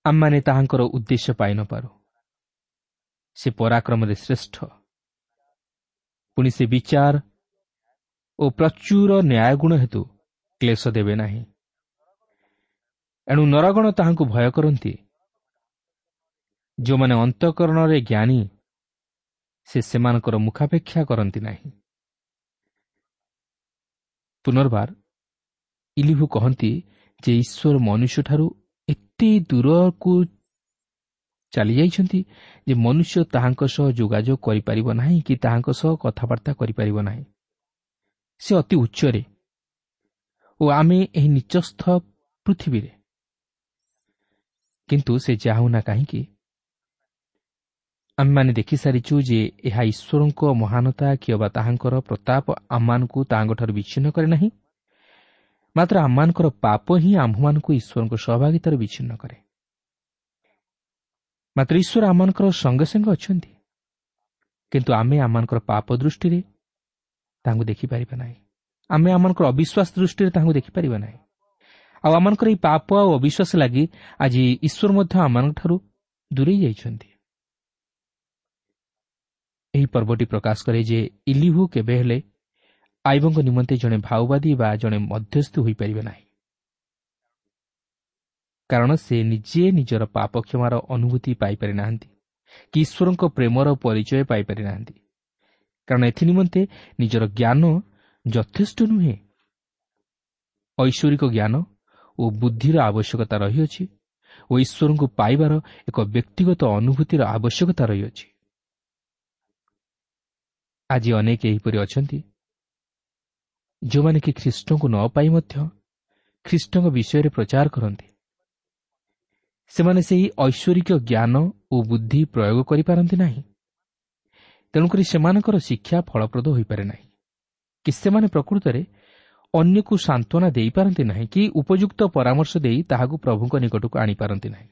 ଆମମାନେ ତାହାଙ୍କର ଉଦ୍ଦେଶ୍ୟ ପାଇନପାରୁ। ସେ ପରାକ୍ରମରେ ଶ୍ରେଷ୍ଠ, ପୁଣି ସେ ବିଚାର ଓ ପ୍ରଚୁର ନ୍ୟାୟଗୁଣ ହେତୁ କ୍ଲେଶ ଦେବେ ନାହିଁ। ଏଣୁ ନରଗଣ ତାହାଙ୍କୁ ଭୟ କରନ୍ତି। ଯେଉଁମାନେ ଅନ୍ତଃକରଣରେ ଜ୍ଞାନୀ, ସେ ସେମାନଙ୍କର ମୁଖାପେକ୍ଷା କରନ୍ତି ନାହିଁ। ପୁନର୍ବାର ଇଲିହୁ କହନ୍ତି ଯେ ଈଶ୍ୱର ମନୁଷ୍ୟଠାରୁ ଏତେ ଦୂରକୁ ଚାଲିଯାଇଛନ୍ତି ଯେ ମନୁଷ୍ୟ ତାହାଙ୍କ ସହ ଯୋଗାଯୋଗ କରିପାରିବ ନାହିଁ କି ତାହାଙ୍କ ସହ କଥାବାର୍ତ୍ତା କରିପାରିବ ନାହିଁ। ସେ ଅତି ଉଚ୍ଚରେ ଓ ଆମେ ଏହି ନିଚସ୍ଥ ପୃଥିବୀରେ। କିନ୍ତୁ ସେ ଯାହା ହେଉନା କାହିଁକି, ଆମେମାନେ ଦେଖିସାରିଛୁ ଯେ ଏହା ଈଶ୍ୱରଙ୍କ ମହାନତା କିମ୍ବା ତାହାଙ୍କର ପ୍ରତାପ ଆମମାନଙ୍କୁ ତାହାଙ୍କଠାରୁ ବିଚ୍ଛିନ୍ନ କରେ ନାହିଁ, ମାତ୍ର ଆମମାନଙ୍କର ପାପ ହିଁ ଆମ୍ଭମାନଙ୍କୁ ଈଶ୍ୱରଙ୍କ ସହଭାଗିତାରୁ ବିଚ୍ଛିନ୍ନ କରେ। ମାତ୍ର ଈଶ୍ୱର ଆମମାନଙ୍କର ସଙ୍ଗେ ସଙ୍ଗେ ଅଛନ୍ତି, କିନ୍ତୁ ଆମେ ଆମମାନଙ୍କର ପାପ ଦୃଷ୍ଟିରେ ତାହାଙ୍କୁ ଦେଖିପାରିବା ନାହିଁ। ଆମେ ଆମମାନଙ୍କର ଅବିଶ୍ୱାସ ଦୃଷ୍ଟିରେ ତାହାଙ୍କୁ ଦେଖିପାରିବା ନାହିଁ। ଆଉ ଆମମାନଙ୍କର ଏହି ପାପ ଆଉ ଅବିଶ୍ୱାସ ଲାଗି ଆଜି ଈଶ୍ୱର ମଧ୍ୟ ଆମମାନଙ୍କଠାରୁ ଦୂରେଇ ଯାଇଛନ୍ତି। ଏହି ପର୍ବଟି ପ୍ରକାଶ କରେ ଯେ ଇଲିହୁ କେବେ ହେଲେ ଆଇବଙ୍କ ନିମନ୍ତେ ଜଣେ ଭାଓବାଦୀ ବା ଜଣେ ମଧ୍ୟସ୍ଥି ହୋଇପାରିବେ ନାହିଁ, କାରଣ ସେ ନିଜେ ନିଜର ପାପ କ୍ଷମାର ଅନୁଭୂତି ପାଇପାରି ନାହାନ୍ତି କି ଈଶ୍ୱରଙ୍କ ପ୍ରେମର ପରିଚୟ ପାଇପାରି ନାହାନ୍ତି, କାରଣ ଏଥି ନିମନ୍ତେ ନିଜର ଜ୍ଞାନ ଯଥେଷ୍ଟ ନୁହେଁ। ଐଶ୍ୱରିକ ଜ୍ଞାନ ଓ ବୁଦ୍ଧିର ଆବଶ୍ୟକତା ରହିଅଛି ଓ ଈଶ୍ୱରଙ୍କୁ ପାଇବାର ଏକ ବ୍ୟକ୍ତିଗତ ଅନୁଭୂତିର ଆବଶ୍ୟକତା ରହିଅଛି। ଆଜି ଅନେକ ଏହିପରି ଅଛନ୍ତି ଯେଉଁମାନେ କି ଖ୍ରୀଷ୍ଟଙ୍କୁ ନ ପାଇ ମଧ୍ୟ ଖ୍ରୀଷ୍ଟଙ୍କ ବିଷୟରେ ପ୍ରଚାର କରନ୍ତି। ସେମାନେ ସେହି ଐଶ୍ୱରିକ ଜ୍ଞାନ ଓ ବୁଦ୍ଧି ପ୍ରୟୋଗ କରିପାରନ୍ତି ନାହିଁ, ତେଣୁକରି ସେମାନଙ୍କର ଶିକ୍ଷା ଫଳପ୍ରଦ ହୋଇପାରେ ନାହିଁ କି ସେମାନେ ପ୍ରକୃତରେ ଅନ୍ୟକୁ ସାନ୍ତ୍ୱନା ଦେଇପାରନ୍ତି ନାହିଁ କି ଉପଯୁକ୍ତ ପରାମର୍ଶ ଦେଇ ତାହାକୁ ପ୍ରଭୁଙ୍କ ନିକଟକୁ ଆଣିପାରନ୍ତି ନାହିଁ।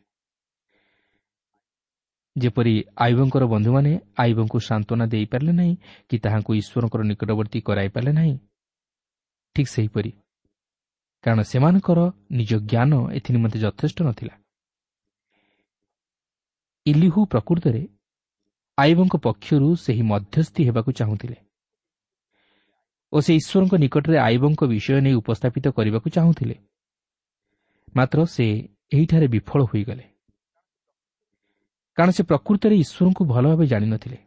ଯେପରି ଆଇବଙ୍କର ବନ୍ଧୁମାନେ ଆଇବଙ୍କୁ ସାନ୍ତ୍ୱନା ଦେଇପାରିଲେ ନାହିଁ କି ତାହାଙ୍କୁ ଈଶ୍ୱରଙ୍କର ନିକଟବର୍ତ୍ତୀ କରାଇପାରିଲେ ନାହିଁ, ଠିକ୍ ସେହିପରି, କାରଣ ସେମାନଙ୍କର ନିଜ ଜ୍ଞାନ ଏଥି ନିମନ୍ତେ ଯଥେଷ୍ଟ ନଥିଲା। ଇଲିହୁ ପ୍ରକୃତରେ ଆଇବଙ୍କ ପକ୍ଷରୁ ସେହି ମଧ୍ୟସ୍ଥି ହେବାକୁ ଚାହୁଁଥିଲେ ଓ ସେ ଈଶ୍ୱରଙ୍କ ନିକଟରେ ଆଇବଙ୍କ ବିଷୟ ନେଇ ଉପସ୍ଥାପିତ କରିବାକୁ ଚାହୁଁଥିଲେ, ମାତ୍ର ସେ ଏହିଠାରେ ବିଫଳ ହୋଇଗଲେ, କାରଣ ସେ ପ୍ରକୃତରେ ଈଶ୍ୱରଙ୍କୁ ଭଲ ଭାବେ ଜାଣିନଥିଲେ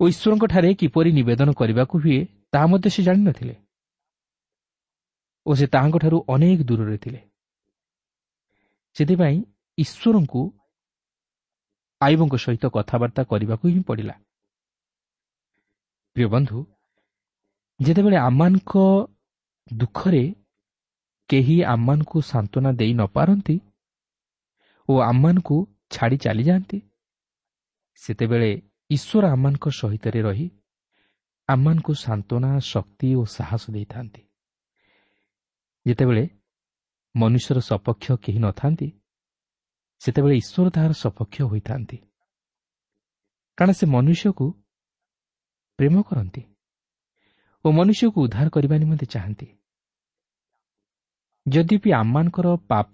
ଓ ଈଶ୍ୱରଙ୍କଠାରେ କିପରି ନିବେଦନ କରିବାକୁ ହୁଏ ତାହା ମଧ୍ୟ ସେ ଜାଣିନଥିଲେ ଓ ସେ ତାହାଙ୍କଠାରୁ ଅନେକ ଦୂରରେ ଥିଲେ। ସେଥିପାଇଁ ଈଶ୍ୱରଙ୍କୁ ଆଇବଙ୍କ ସହିତ କଥାବାର୍ତ୍ତା କରିବାକୁ ହିଁ ପଡ଼ିଲା। ପ୍ରିୟ ବନ୍ଧୁ, ଯେତେବେଳେ ଆମମାନଙ୍କ ଦୁଃଖରେ କେହି ଆମମାନଙ୍କୁ ସାନ୍ତ୍ୱନା ଦେଇ ନପାରନ୍ତି ଓ ଆମମାନଙ୍କୁ ଛାଡ଼ି ଚାଲିଯାଆନ୍ତି, ସେତେବେଳେ ଈଶ୍ୱର ଆମମାନଙ୍କ ସହିତରେ ରହି ଆମମାନଙ୍କୁ ସାନ୍ତ୍ୱନା, ଶକ୍ତି ଓ ସାହସ ଦେଇଥାନ୍ତି। ଯେତେବେଳେ ମନୁଷ୍ୟର ସପକ୍ଷ କେହି ନଥାନ୍ତି, ସେତେବେଳେ ଈଶ୍ୱର ତାହାର ସପକ୍ଷ ହୋଇଥାନ୍ତି, କାରଣ ସେ ମନୁଷ୍ୟକୁ ପ୍ରେମ କରନ୍ତି ଓ ମନୁଷ୍ୟକୁ ଉଦ୍ଧାର କରିବା ନିମନ୍ତେ ଚାହାନ୍ତି। ଯଦ୍ୟପି ଆମମାନଙ୍କର ପାପ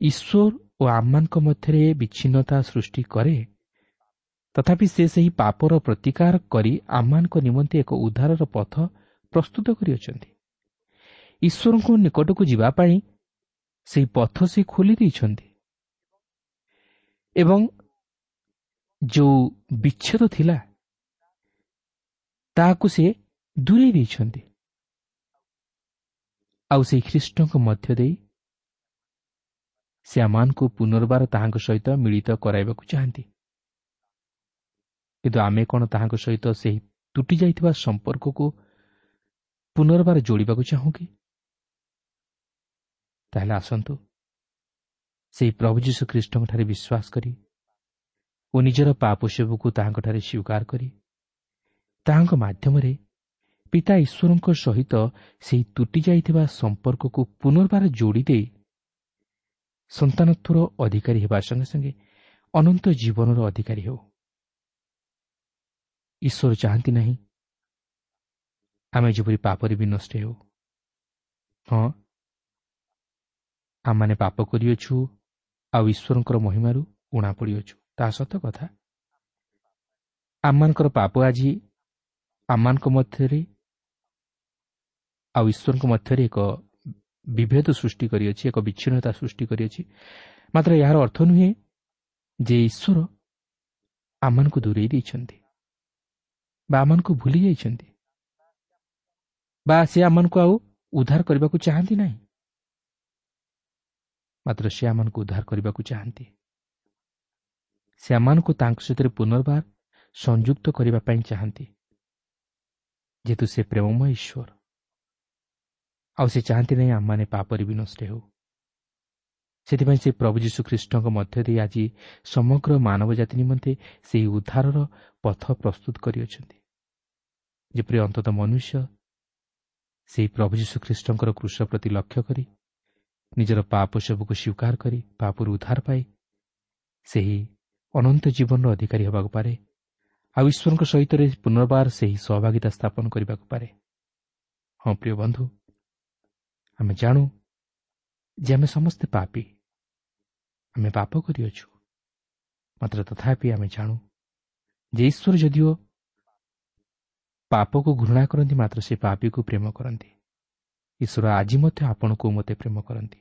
ଈଶ୍ୱର ଓ ଆମମାନଙ୍କ ମଧ୍ୟରେ ବିଚ୍ଛିନ୍ନତା ସୃଷ୍ଟି କରେ, ତଥାପି ସେ ସେହି ପାପର ପ୍ରତିକାର କରି ଆମମାନଙ୍କ ନିମନ୍ତେ ଏକ ଉଦ୍ଧାରର ପଥ ପ୍ରସ୍ତୁତ କରିଅଛନ୍ତି। ଈଶ୍ୱରଙ୍କ ନିକଟକୁ ଯିବା ପାଇଁ ସେହି ପଥ ସେ ଖୋଲି ଦେଇଛନ୍ତି ଏବଂ ଯେଉଁ ବିଚ୍ଛେଦ ଥିଲା ତାହାକୁ ସେ ଦୂରେଇ ଦେଇଛନ୍ତି। ଆଉ ସେହି ଖ୍ରୀଷ୍ଟଙ୍କ ମଧ୍ୟ ଦେଇ ସେ ଆମମାନଙ୍କୁ ପୁନର୍ବାର ତାହାଙ୍କ ସହିତ ମିଳିତ କରାଇବାକୁ ଚାହାନ୍ତି। କିନ୍ତୁ ଆମେ କ'ଣ ତାହାଙ୍କ ସହିତ ସେହି ତୁଟି ଯାଇଥିବା ସମ୍ପର୍କକୁ ପୁନର୍ବାର ଯୋଡ଼ିବାକୁ ଚାହୁଁ କି? ତାହେଲେ ଆସନ୍ତୁ ସେହି ପ୍ରଭୁ ଯୀଶୁ ଖ୍ରୀଷ୍ଟଙ୍କଠାରେ ବିଶ୍ୱାସ କରି ଓ ନିଜର ପାପ ସେବକୁ ତାହାଙ୍କଠାରେ ସ୍ୱୀକାର କରି ତାହାଙ୍କ ମାଧ୍ୟମରେ ପିତା ଈଶ୍ୱରଙ୍କ ସହିତ ସେହି ତୁଟି ଯାଇଥିବା ସମ୍ପର୍କକୁ ପୁନର୍ବାର ଯୋଡ଼ି ଦେଇ ସନ୍ତାନତ୍ୱର ଅଧିକାରୀ ହେବା ସଙ୍ଗେ ସଙ୍ଗେ ଅନନ୍ତ ଜୀବନର ଅଧିକାରୀ ହେଉ। ଈଶ୍ୱର ଚାହାନ୍ତି ନାହିଁ ଆମେ ଯେପରି ପାପରେ ବିନଷ୍ଟ ହେଉ। ହଁ, ଆମମାନେ ପାପ କରିଅଛୁ ଆଉ ଈଶ୍ୱରଙ୍କର ମହିମାରୁ ଉଣା ପଡ଼ିଅଛୁ, ତାହା ସତ କଥା। ଆମମାନଙ୍କର ପାପ ଆଜି ଆମମାନଙ୍କ ମଧ୍ୟରେ ଆଉ ଈଶ୍ୱରଙ୍କ ମଧ୍ୟରେ ଏକ ବିଭେଦ ସୃଷ୍ଟି କରିଅଛି, ଏକ ବିଚ୍ଛିନ୍ନତା ସୃଷ୍ଟି କରିଅଛି। ମାତ୍ର ଏହାର ଅର୍ଥ ନୁହେଁ ଯେ ଈଶ୍ୱର ଆମମାନଙ୍କୁ ଦୂରେଇ ଦେଇଛନ୍ତି ବା ଆମମାନଙ୍କୁ ଭୁଲି ଯାଇଛନ୍ତି ବା ସେ ଆମମାନଙ୍କୁ ଆଉ ଉଦ୍ଧାର କରିବାକୁ ଚାହାନ୍ତି ନାହିଁ। ମାତ୍ର ସେ ଆମମାନଙ୍କୁ ଉଦ୍ଧାର କରିବାକୁ ଚାହାନ୍ତି। ସେ ଆମମାନଙ୍କୁ ତାଙ୍କ ସହିତ ପୁନର୍ବାର ସଂଯୁକ୍ତ କରିବା ପାଇଁ ଚାହାନ୍ତି, ଯେହେତୁ ସେ ପ୍ରେମମୟ ଈଶ୍ୱର। ଆଉ ସେ ଚାହାନ୍ତି ନାହିଁ ଆମମାନେ ପାପରେ ବିନଷ୍ଟ ହେଉ। ସେଥିପାଇଁ ସେ ପ୍ରଭୁ ଯୀଶୁ ଖ୍ରୀଷ୍ଟଙ୍କ ମଧ୍ୟ ଦେଇ ଆଜି ସମଗ୍ର ମାନବ ଜାତି ନିମନ୍ତେ ସେହି ଉଦ୍ଧାରର ପଥ ପ୍ରସ୍ତୁତ କରିଅଛନ୍ତି, ଯେପରି ଅନ୍ତତଃ ମନୁଷ୍ୟ ସେହି ପ୍ରଭୁ ଯୀଶୁ ଖ୍ରୀଷ୍ଟଙ୍କର କ୍ରୁଶ ପ୍ରତି ଲକ୍ଷ୍ୟ କରି ନିଜର ପାପ ସବୁକୁ ସ୍ୱୀକାର କରି ପାପରୁ ଉଦ୍ଧାର ପାଇ ସେହି ଅନନ୍ତ ଜୀବନର ଅଧିକାରୀ ହେବାକୁ ପାରେ ଆଉ ଈଶ୍ୱରଙ୍କ ସହିତ ପୁନର୍ବାର ସେହି ସହଭାଗିତା ସ୍ଥାପନ କରିବାକୁ ପାରେ। ହଁ ପ୍ରିୟ ବନ୍ଧୁ, ଆମେ ଜାଣୁ ଯେ ଆମେ ସମସ୍ତେ ପାପୀ, ଆମେ ପାପ କରିଅଛୁ। ମାତ୍ର ତଥାପି ଆମେ ଜାଣୁ ଯେ ଈଶ୍ୱର ଯଦିଓ ପାପକୁ ଘୃଣା କରନ୍ତି, ମାତ୍ର ସେ ପାପୀକୁ ପ୍ରେମ କରନ୍ତି। ଈଶ୍ୱର ଆଜି ମଧ୍ୟ ଆପଣଙ୍କୁ ମୋତେ ପ୍ରେମ କରନ୍ତି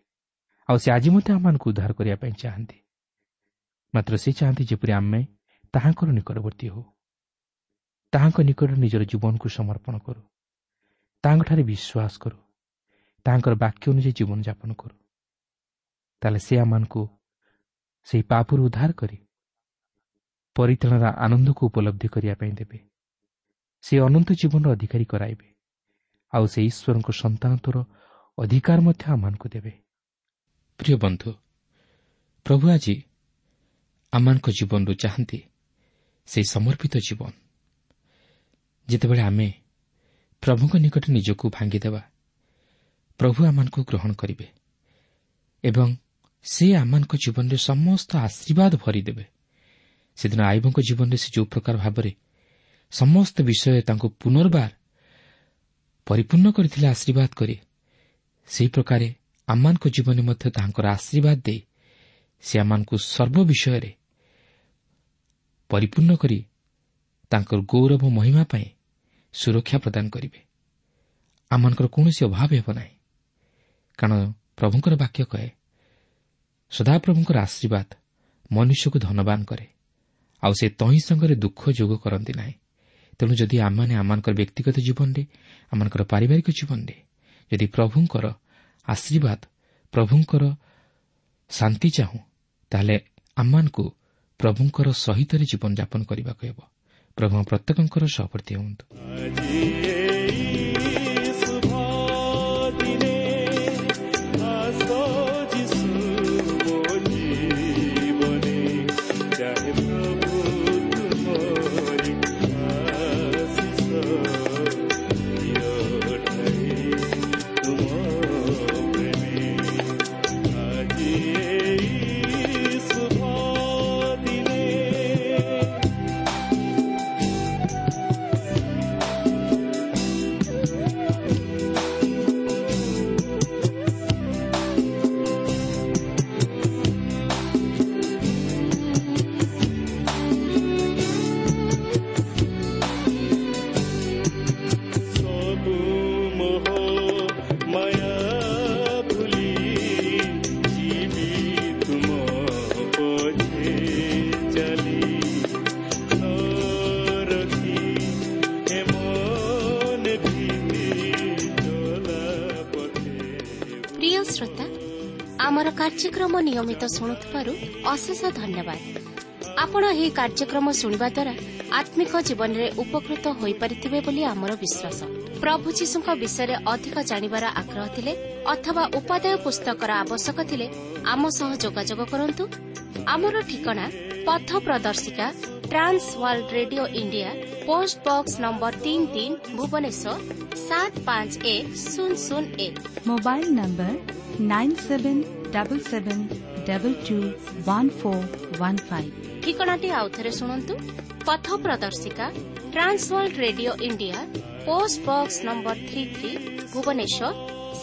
ଆଉ ସେ ଆଜି ମଧ୍ୟ ଆମମାନଙ୍କୁ ଉଦ୍ଧାର କରିବା ପାଇଁ ଚାହାନ୍ତି। ମାତ୍ର ସେ ଚାହାନ୍ତି ଯେପରି ଆମେ ତାହାଙ୍କର ନିକଟବର୍ତ୍ତୀ ହେଉ, ତାହାଙ୍କ ନିକଟରେ ନିଜର ଜୀବନକୁ ସମର୍ପଣ କରୁ, ତାହାଙ୍କଠାରେ ବିଶ୍ୱାସ କରୁ, ତାହାଙ୍କର ବାକ୍ୟ ଅନୁଯାୟୀ ଜୀବନଯାପନ କରୁ। ତାହେଲେ ସେ ଆମମାନଙ୍କୁ ସେହି ପାପରୁ ଉଦ୍ଧାର କରି ପରିତ୍ରାଣର ଆନନ୍ଦକୁ ଉପଲବ୍ଧି କରିବା ପାଇଁ ଦେବେ। ସେ ଅନନ୍ତ ଜୀବନର ଅଧିକାରୀ କରାଇବେ ଆଉ ସେ ଈଶ୍ୱରଙ୍କ ସନ୍ତାନତ୍ୱର ଅଧିକାର ମଧ୍ୟ ଆମମାନଙ୍କୁ ଦେବେ। ପ୍ରିୟ ବନ୍ଧୁ, ପ୍ରଭୁ ଆଜି ଆମମାନଙ୍କ ଜୀବନରୁ ଚାହାନ୍ତି ସେହି ସମର୍ପିତ ଜୀବନ। ଯେତେବେଳେ ଆମେ ପ୍ରଭୁଙ୍କ ନିକଟରେ ନିଜକୁ ଭାଙ୍ଗିଦେବା, ପ୍ରଭୁ ଆମମାନଙ୍କୁ ଗ୍ରହଣ କରିବେ ଏବଂ ସେ ଆମମାନଙ୍କ ଜୀବନରେ ସମସ୍ତ ଆଶୀର୍ବାଦ ଭରିଦେବେ। ସେଦିନ ଆଇବଙ୍କ ଜୀବନରେ ସେ ଯେଉଁ ପ୍ରକାର ଭାବରେ ସମସ୍ତ ବିଷୟ ତାଙ୍କୁ ପୁନର୍ବାର ପରିପୂର୍ଣ୍ଣ କରିଥିଲେ ଆଶୀର୍ବାଦ କରି, ସେହି ପ୍ରକାରେ ଆମମାନଙ୍କ ଜୀବନରେ ମଧ୍ୟ ତାଙ୍କର ଆଶୀର୍ବାଦ ଦେଇ ସେ ଆମମାନଙ୍କୁ ସର୍ବ ବିଷୟରେ ପରିପୂର୍ଣ୍ଣ କରି ତାଙ୍କର ଗୌରବ ମହିମା ପାଇଁ ସୁରକ୍ଷା ପ୍ରଦାନ କରିବେ। ଆମମାନଙ୍କର କୌଣସି ଅଭାବ ହେବ ନାହିଁ, କାରଣ ପ୍ରଭୁଙ୍କର ବାକ୍ୟ କହେ, ସଦାପ୍ରଭୁଙ୍କର ଆଶୀର୍ବାଦ ମନୁଷ୍ୟକୁ ଧନବାନ କରେ, ଆଉ ସେ ତହିଁ ସଙ୍ଗରେ ଦୁଃଖ ଯୋଗ କରନ୍ତି ନାହିଁ। ତେଣୁ ଯଦି ଆମମାନେ ଆମମାନଙ୍କର ବ୍ୟକ୍ତିଗତ ଜୀବନରେ, ଆମମାନଙ୍କର ପାରିବାରିକ ଜୀବନରେ ଯଦି ପ୍ରଭୁଙ୍କର ଆଶୀର୍ବାଦ, ପ୍ରଭୁଙ୍କର ଶାନ୍ତି ଚାହୁଁ, ତାହେଲେ ଆମମାନଙ୍କୁ ପ୍ରଭୁଙ୍କର ସହିତରେ ଜୀବନଯାପନ କରିବାକୁ ହେବ। ପ୍ରଭୁ ପ୍ରତ୍ୟେକଙ୍କର ସହବର୍ତ୍ତୀ ହୁଅନ୍ତୁ। ଆମର କାର୍ଯ୍ୟକ୍ରମ ନିୟମିତ ଶୁଣୁଥିବାରୁ ଅଶେଷ ଧନ୍ୟବାଦ। ଆପଣ ଏହି କାର୍ଯ୍ୟକ୍ରମ ଶୁଣିବା ଦ୍ୱାରା ଆତ୍ମିକ ଜୀବନରେ ଉପକୃତ ହୋଇପାରିଥିବେ ବୋଲି ଆମର ବିଶ୍ୱାସ। ପ୍ରଭୁ ଯୀଶୁଙ୍କ ବିଷୟରେ ଅଧିକ ଜାଣିବାର ଆଗ୍ରହ ଥିଲେ ଅଥବା ଉପାଦେୟ ପୁସ୍ତକର ଆବଶ୍ୟକ ଥିଲେ ଆମ ସହ ଯୋଗାଯୋଗ କରନ୍ତୁ। ଆମର ଠିକଣା ପଥ ପ୍ରଦର୍ଶିକା, Trans World Radio India, post box number ତିନି ତିନି, ଭୁବନେଶ୍ୱର ସାତ ପାଞ୍ଚ ଏକ ଶୂନ ଶୂନ ଏକ। Mobile number nine seven double seven double two one four one five. ଠିକଣାଟି ଆଉଥରେ ଶୁଣନ୍ତୁ। ପଥ ପ୍ରଦର୍ଶିକା, Trans World Radio India, post box number three three, Bhubaneswar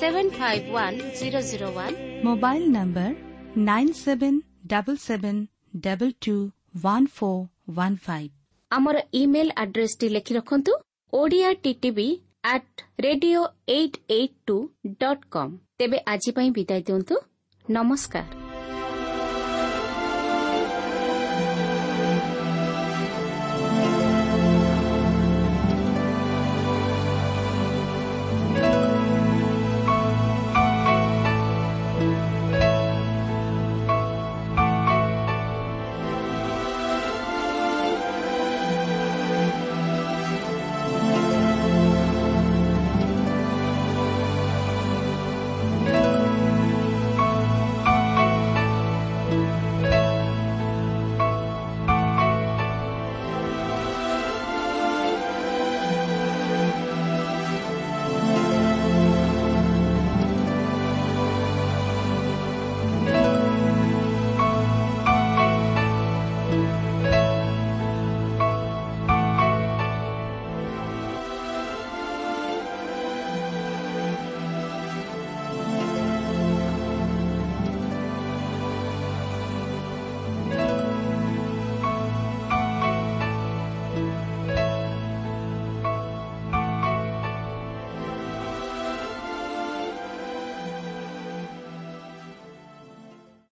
seven five one zero zero one. Mobile number nine seven double seven double two one four one five. ଆମର email ଆଡ୍ରେସଟି ଲେଖି ରଖନ୍ତୁ, Odia TTV at radio eight eight two dot com. ତେବେ ଆଜି ପାଇଁ ବିଦାୟ ଦିଅନ୍ତୁ। ନମସ୍କାର।